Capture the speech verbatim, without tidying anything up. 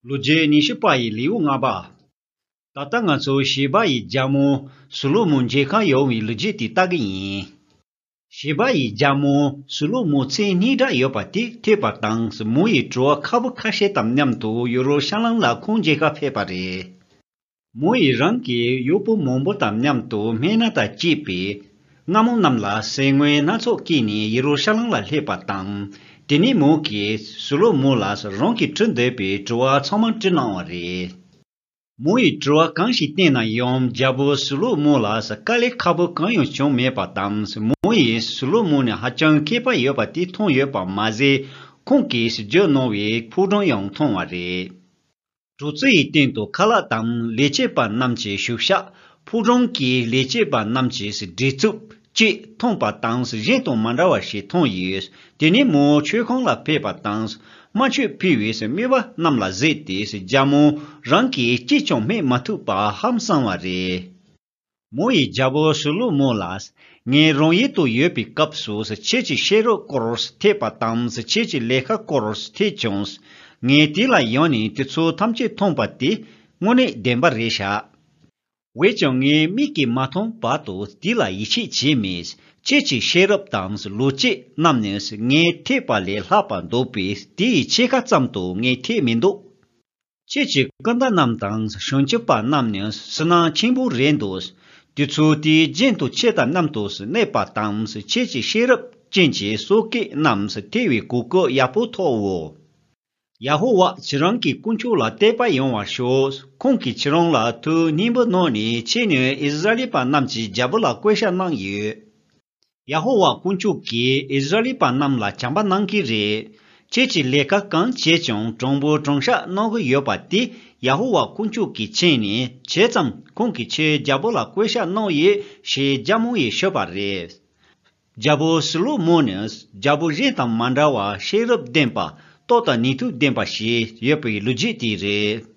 ལོ་རྒྱུས་ཉི་ཤུ་པ་ཡི་ལེའུ་ལྔ་པ། ད་ལྟ་ང་ཚོ་ཞེ་བ་ཡི་རྒྱལ་མོ་སུ་ལོ་མོ་མཇལ་ཁ་ཡོང་བའི་ལོ་རྒྱུས་དེ་ལྟ་གི་ཡིན། ཞེ་བ་ཡི་རྒྱལ་མོ་སུ་ལོ་མོ་མཚན་སྙན་གྲགས་ཡོད་པ་དེ་ཐོས་པ་དང་མོ་ཡི་བྲོ་བ་ཁ་པོ་ཁ་ཤས་དང་མཉམ་དུ་ཡེ་རུ་ཤ་ལམ་ལ་ཁོང་མཇལ་ཁ་ཕེབས་པ་རེད། མོ་ཡིས་རང་གི་གཡོག་པོ་མང་པོ་དང་མཉམ་དུ་སྨན་སྣ་དང་བཅས་པའི་རྔ་མོང་རྣམས་ལ་ཟས་དངོས་སྣ་ཚོགས་བསྐྱལ་ནས་ཡེ་རུ་ཤ་ལམ་ལ་སླེབས་པ་དང་། དེ་ནས་མོ་གིས་སུ་ལོ་མོ་ལ་རང་གིས་བྲི་འདོད་པའི་དྲི་བ་ཚང་མ་བྲིས་གནང་བ་རེད། མོ་ཡིས་དྲི་བ་གང་ཞིག་བསྟན་ན་ཡང་རྒྱལ་པོ་སུ་ལོ་མོ་ལ་དཀའ་ལས་ཁག་པོ་གང་ཡང་བྱུང་མེད་པ་དང་། མོ་ཡིས་སུ་ལོ་མོ་ནི་ཧ་ཅང་མཁས་པ་ཡོད་པ་དེ་མཐོང་ཡོད་པ་མ་ཟད། ཁོང་གིས་བརྗོད་གནང་བའི་ཕོ་བྲང་ཡང་མཐོང་བ་རེད། གྲོང་ཚོའི་སྟེང་དུ་ཁ་ལག་དང་ལས་བྱེད་པ་རྣམས་ཀྱི་བཞུགས་ཤག་ཕོ་བྲང་གི་ལས་བྱེད་པ་རྣམས་ཀྱི་བྲེལ་འཚུབ་ཅིག་མཐོང་པ་དང་གཞན་དང་མ་འདྲ་བ་ཞིག་མཐོང་ཡོད། དེ་ནས་མོ་མཆོད་ཁང་ལ་ཕེབས་པ་དང་། དམར་མཆོད་ཕུལ་བའི་སྨན་པ་རྣམས་ལ་གཟིགས་ཏེ་རྒྱལ་མོ་རང་གིས་ཅིས་ཀྱང་སྨྲས་མ་ཐུབ་པ་ཧང་སངས་པ་རེད། མོ་ཡིས་རྒྱལ་པོ་སུ་ལོ་མོ་ལ། ངས་རང་ཡུལ་དུ་ཡོད་པའི་སྐབས་སུ་ཁྱེད་ཀྱི་ཤེས་རབ་སྐོར་ཐོས་པ་དང་ཁྱེད་ཀྱི་ལས་ཀ་སྐོར་ཐོས་བྱུང་། ངས་དེ་ལ་ཡོང་ནས་དེ་ཚོ་ཐམས་ཅད་མཐོང་པ་དེ་དངོས་གནས་བདེན་པ་རེད་ཤག་འོན་ཀྱང་ངའི་མིག་གིས་མ་མཐོང་བར་དུ་དེ་ལ་ཡིད་ཆེས་བྱས་མེད། ཁྱེད་ཀྱི་ཤེས་རབ་དང་ལོ་རྒྱུས་རྣམས་ནི་ངས་ཐོས་པ་ལས་ལྷག་པ་འདུག་པས་དེ་ཡི་ཕྱེད་ཀ་ཙམ་དུ་ངས་ཐོས་མི་འདུག་ཁྱེད་ཀྱི་སྐུ་ཟླ་རྣམས་དང་བྱང་ཆུབ་པ་རྣམས་ནི་བསོད་ནམས་ཆེན་པོ་རེད་འདུག་དེ་ཚོ་དེའི་རྒྱན་དུ་ཁྱེད་དང་མཉམ་དུ་གནས་པ་དང་ཁྱེད་ཀྱི་ཤེས་རབ་ཅན་གྱི་སོ་སྐྱེ་རྣམས་ཐོས་པའི་གོ་སྐབས་ཡག་པོ་ཐོབ་འོ། ཡ་ཧོ་ཝཱ་ཁྱེད་རང་གི་དཀོན་མཆོག་ལ་དད་པ་ཡོང་བར་ཤོག་ཁོང་གིས་ཁྱེད་རང་ལ་ཐུགས་སྙིང་པོ་གནང་ནས་ཁྱེད་ནི་ཨིསི་ར་ཨེལ་པ་རྣམས་ཀྱི་རྒྱལ་པོ་ལ་བསྐོ་བཞག་གནང་ཡོད། ཡ་ཧོ་ཝཱ་དཀོན་མཆོག་གིས་ཨིསི་ར་ཨེལ་པ་རྣམས་ལ་བྱམས་པ་གནང་གི་རེད། ཁྱེད་ཀྱིས་ལས་ཀ་གང་བྱས་ཀྱང་དྲང་པོ་དྲང་བཞག་གནང་གི་ཡོད་པ་དེ་ཡ་ཧོ་ཝཱ་དཀོན་མཆོག་གིས་མཁྱེན་ནས་བྱས་ཙང་ཁོང་གིས་ཁྱེད་རྒྱལ་པོ་ལ་བསྐོ་བཞག་གནང་ཡོད་ཞེས་རྒྱལ་མོ་ཡིས་ཤོད་པ་རེད། རྒྱལ་པོ་སུ་ལོ་མོ་ནི་རྒྱལ་པོ་གཞན་དང་མ་འདྲ་བར་ཤེས་རབ་ལྡན་པ། སྟོབས་དང་ནུས་མཐུ་ལྡན་པ་ཞིག་ཡོད་པའི་ལོ་རྒྱུས་དེ་རེད།